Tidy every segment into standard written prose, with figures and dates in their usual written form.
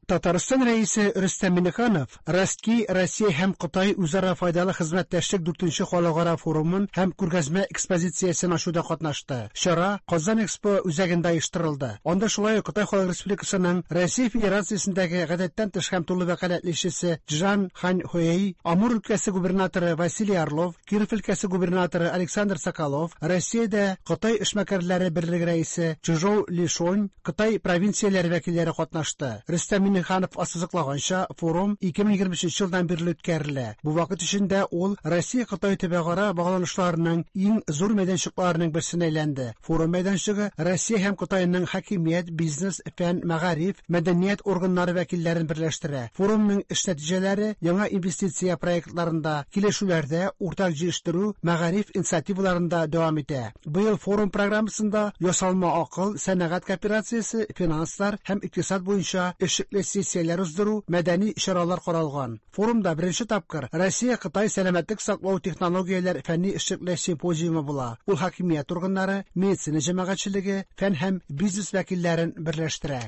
Татарстан Рәисе Рөстәм Миңнеханов Ростки Россия һәм Кытай үзара файдалы хезмәттәшлек дүртенче халыкара форумын һәм күргәзмә экспозициясен ачуда катнашты. Чара Казан Экспо үзәгендә оештырылды. Анда шулай ук Кытай Халык Республикасының Россия Федерациясендәге гадәттән тыш һәм тулы вәкаләтле илчесе Чжан Ханьхуэй, Амур өлкәсе губернаторы Василий Орлов, Киров өлкәсе губернаторы Александр Соколов, Россиядә Кытай эшмәкәрләре берлеге рәисе Чжоу Лишонь, Кытай провинцияләре вәкилләре катнашты. Рөстәм Миңнеханов ассызыклаганча, форум 2023 елдан бирле үткәрелә. Бу вакыт эчендә ул Россия-Кытай төбәкара багланышларының иң зур мәйданчыкларының берсенә әйләнде. Форум мәйданчыгы Россия һәм Кытайның хакимият, бизнес, фән, мәгариф, мәдәният органнары вәкилләрен берләштерә. Форумның эш нәтиҗәләре яңа инвестиция проектларында, килешүләрдә, уртак җитештерү, мәгариф инициативаларында дәвам итә. Быел форум программасында ясалма акыл, сәнәгать кооперациясе, финанслар һәм икътисад буенча эшлекле сессияләр уздыру, мәдәни чаралар каралган. Форумда беренче тапкыр Россия-Кытай сәламәтлек саклау технологияләр фәнни эшлекле симпозиумы була. Ул хакимият органнары, медицина җәмәгатьчелеге, фән һәм бизнес вәкилләрен берләштерә.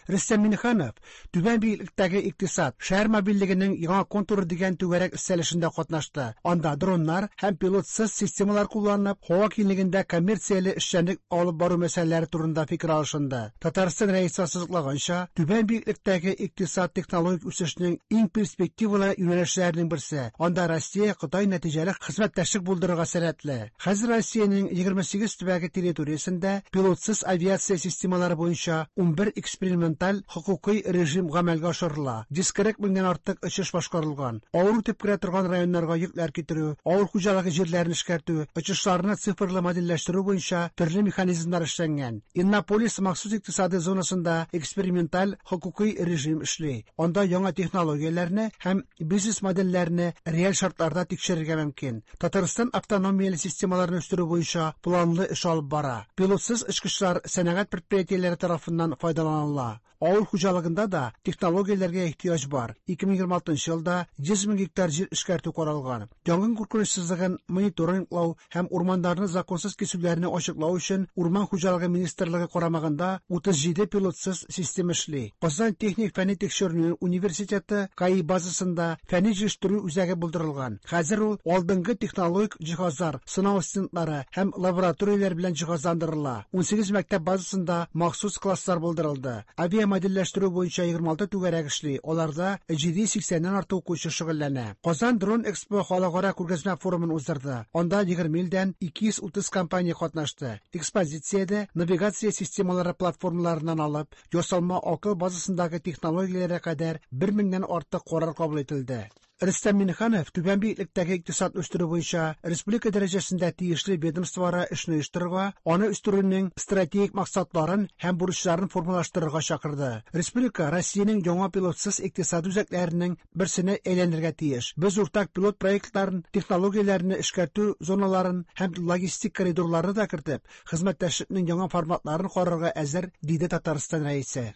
Рөстәм Миңнеханов Түбән биеклектәге икътисад, шәһәр мобильлегенең яңа контуры дигән түгәрәк өстәл эшендә катнашты. Анда дроннар һәм пилотсыз системалар кулланып, һава киңлегендә коммерцияле эшчәнлек алып бару мәсьәләләре турында фикер алышынды. Татарстан Рәисе ассызыклаганча, түбән биеклектәге икътисад технологик үсешнең иң перспективалы юнәлешләренең берсе. Анда Россия Кытай нәтиҗәле хезмәттәшлек булдырырга сәләтле. Хәзер Россиянең 28 төбәге территориясендә пилотсыз авиация системалары буенча 11 эксперименталь хокукый режим гамәлгә ашырыла, 140 меңнән артык очыш башкарылган. Авыр үтеп керә торган районнарга йөкләр китерү, авыл хуҗалыгы җирләрен эшкәртү, очышларны цифрлы модельләштерү буенча төрле механизмнар эшләнгән. Иннополис махсус икътисадый зонасында эксперименталь хокукый режим эшли. Анда яңа технологияләрне һәм бизнес-модельләрне реаль шартларда тикшерергә мөмкин. Татарстан автономияле системаларны үстерү буенча планлы эш алып бара. Пилотсыз очкычлар сәнәгать предприятиеләре тарафыннан файдаланыла. Авыл хуҗалыгында да технологияләргә ихтыяҗ бар. 2026 елда 100 мең гектар җир эшкәртү каралган. Янгын куркынычсызлыгын мониторинглау һәм урманнарны законсыз кисүләрне ачыклау өчен Урман хуҗалыгы министрлыгы карамагында 37 пилотсыз система эшли. Казан техник фәнни тикшеренү университеты КАИ базасында фәнни җитештерү үзәге булдырылган. Хәзер ул алдынгы технологик җиһазлар, сынау стендлары һәм лабораторияләр белән җиһазландырыла. 18 мәктәп базасында махсус класслар булдырылды. Авиамодельләштерү буенча 26 түгәрәк эшли, аларда 780 нән артык укучы шөгыльләнә. Казан Дрон Экспо халыкара күргәзмә форумын уздырды. Анда 20 илдән 230 компания катнашты. Экспозициядә навигация системалары платформаларыннан алып, ясалма акыл базасындагы технологияләргә кадәр 1000 меңнән артык карар кабул ителде. Рөстәм Миңнеханов түбән биеклектәге икътисадны үстерү буенча республика дәрәҗәсендә тиешле ведомствоара эшне оештырырга, аны үстерүнең стратегик максатларын һәм бурычларын формалаштырырга чакырды. Республика Россиянең яңа пилотсыз икътисад үзәкләренең берсенә әйләнергә тиеш. Без уртак пилот проектларын, технологияләрне эшкәртү зоналарын һәм логистик коридорларны да кертеп, хезмәттәшлекнең яңа форматларын карарга әзер, диде Татарстан Рәисе.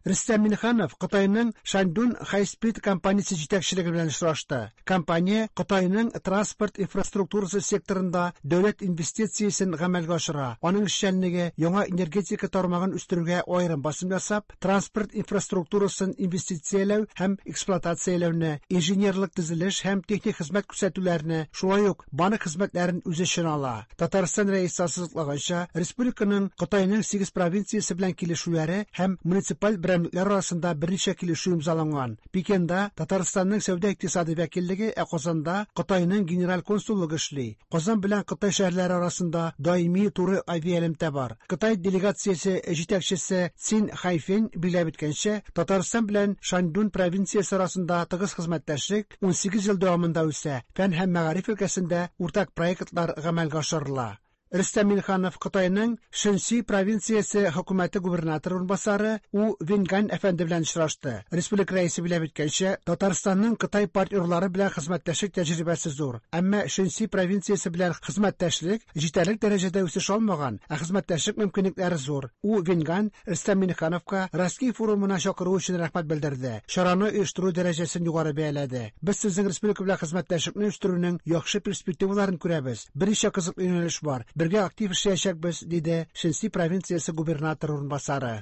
Рөстәм Миңнеханов Кытайның Шаньдун High-Speed компаниясе җитәкчелеге белән очрашты. Компания Кытайның транспорт инфраструктурасы секторында дәүләт инвестициясен гамәлгә ашыра. Аның эшчәнлеге яңа энергетика тармагын үстерүгә аерым басым ясап, транспорт инфраструктурасын инвестицияләү һәм эксплуатацияләүне, инженерлык төзелеш һәм техник хезмәт күрсәтүләрне, шулай ук банк хезмәтләрен үз эченә ала. Татарстан Рәисе ассызыклаганча, республиканың Кытайның 8 провинциясе белән килешүләре һәм муниципаль берәмлекләр арасында берничә килешү имзаланган. Пекинда Татарстанның сәүдә-икътисади вәкиллеге, ә Казанда Кытайның генераль консуллыгы эшли. Казан белән Кытай шәһәрләре арасында даими туры авиаэлемтә бар. Кытай делегациясе җитәкчесе Цин Хайфень билгеләп үткәнчә, Татарстан белән Шаньдун провинциясе арасында тыгыз хезмәттәшлек 18 ел дәвамында үсә, фән һәм мәгариф өлкәсендә уртак проектлар гамәлгә ашырыла. Рөстәм Миңнеханов Кытайның Шэньси провинциясе хөкүмәте губернаторы урынбасары У Венгань әфәнде белән очрашты. Республика рәисе билгеләп үткәнчә, Татарстанның Кытай партнерлары белән хезмәттәшлек тәҗрибәсе зур. Әмма Шэньси провинциясе белән хезмәттәшлек җитәрлек дәрәҗәдә үсеш алмаган, ә хезмәттәшлек мөмкинлекләре зур. У Венгань Рөстәм Миңнехановка Ростки форумына чакыру өчен рәхмәт белдерде, чараны оештыру дәрәҗәсен югары бәяләде. Без сезнең республика белән хезмәттәшлекне үстерүнең яхшы перспективаларын күрәбез. Берничә кызыклы юнәлеш бар. Бергә актив эшләячәкбез, диде Шэньси провинциясе губернаторы урынбасары.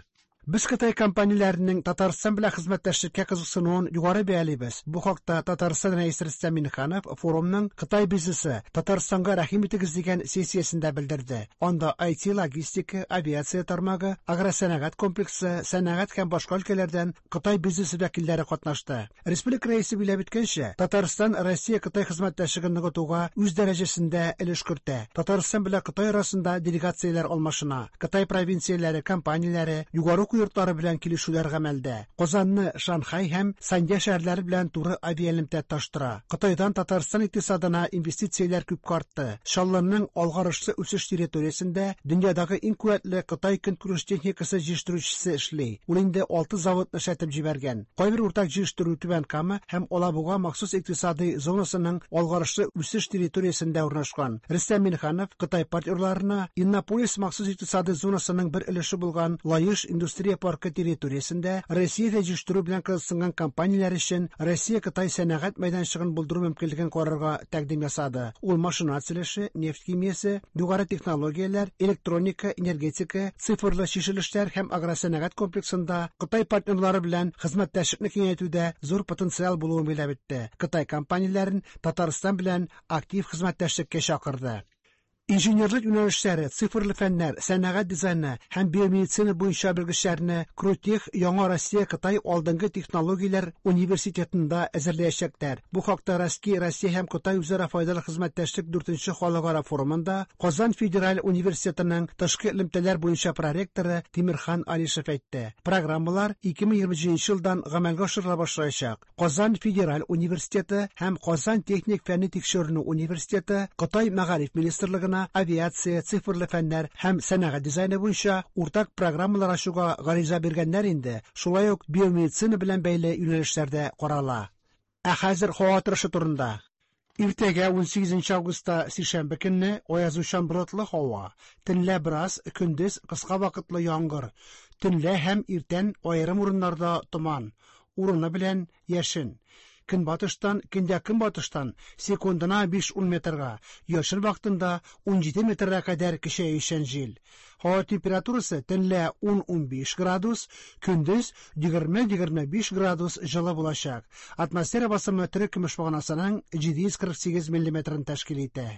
Без Кытай компанияләренең Татарстан белән хезмәттәшлеккә кызыксынуын югары бәялибез. Бу хакта Татарстан Рәисе Рөстәм Миңнеханов форумның Кытай бизнесы, Татарстанга рәхим итегез дигән сессиясендә белдерде. Анда IT, логистика, авиация тармагы, агросәнәгать комплексы, сәнәгать һәм башка өлкәләрдән Кытай бизнесы вәкилләре катнашты. Республика Рәисе билгеләп үткәнчә, Татарстан Россия-Кытай хезмәттәшлеген ныгытуга үз дәрәҗәсендә өлеш кертә. Татарстан белән Кытай арасында делегацияләр алмашына, Кытай провинцияләре, компанияләре, югары уку йортлары белән килешүләр гамәлдә. Казанны Шанхай һәм Санья шәһәрләре белән туры авиаэлемтә тоташтыра. Кытайдан Татарстан икътисадына инвестицияләр күпкә артты. Чаллының алгарышлы үсеш территориясендә дөньядагы иң куәтле Кытай көнкүреш техникасы җитештерүчесе эшли. Ул инде алты заводны эшләтеп җибәргән. Кайбер уртак җитештерү Түбән Кама һәм Алабуга махсус икътисадый зонасының алгарышлы үсеш территориясендә урнашкан. Рөстәм Миңнеханов Кытай партнерларына Иннополис махсус икътисадый зонасының бер өлеше булган Лаеш индустрия паркы территориясендә Россиядә җитештерү белән кызыксынган компанияләр өчен Россия-Кытай сәнәгать мәйданчыгын булдыру мөмкинлеген карарга тәкъдим ясады. Ул машина төзелеше, нефть химиясе, югары технологияләр, электроника, энергетика, цифрлы чишелешләр һәм агросәнәгать комплексында Кытай партнерлары белән хезмәттәшлекне киңәйтүдә зур потенциал булуын билгеләп үтте. Кытай компанияләрен Татарстан белән актив хезмәттәшлеккә чакырды. Инженерлык юнәлешләре, цифрлы фәннәр, сәнәгать дизайны һәм биомедицина буенча белгечләрне Крутех Яңа Россия-Кытай алдынгы технологияләр университетында әзерләячәкләр. Бу хакта Россия Россия һәм Кытай үзара файдалы хезмәттәшлек дүртенче халыкара форумында Казан федераль университетының тышкы элемтәләр буенча проректоры Тимерхан Алишев әйтте. Программалар 2027 елдан гамәлгә ашырыла башлаячак. Казан федераль университеты һәм Казан техник фәнни тикшеренү университеты Кытай мәгариф министрлыгына авиация, цифрлы фәннәр һәм сәнәгать дизайны буенча уртак программалар ачуга гариза биргәннәр инде, шулай ук биомедицина белән бәйле юнәлешләр дә карала. Ә хәзер һава торышы турында. Иртәгә 18 августта сишәмбе көнне аязучан болытлы һава, төнлә бераз, көндез кыска вакытлы яңгыр, төнлә һәм иртән аерым урыннарда томан, урыны белән яшен. Көнбатыштан, көньяк-көнбатыштан секундына 5-10 метрга, яшен вакытында 17 метрга кадәр көчәючән җил. Һава температурасы төнлә 10-15 градус, көндез 20-25 градус җылы булачак. Атмосфера басымы терекөмеш баганасының 748 миллиметрын тәшкил итә.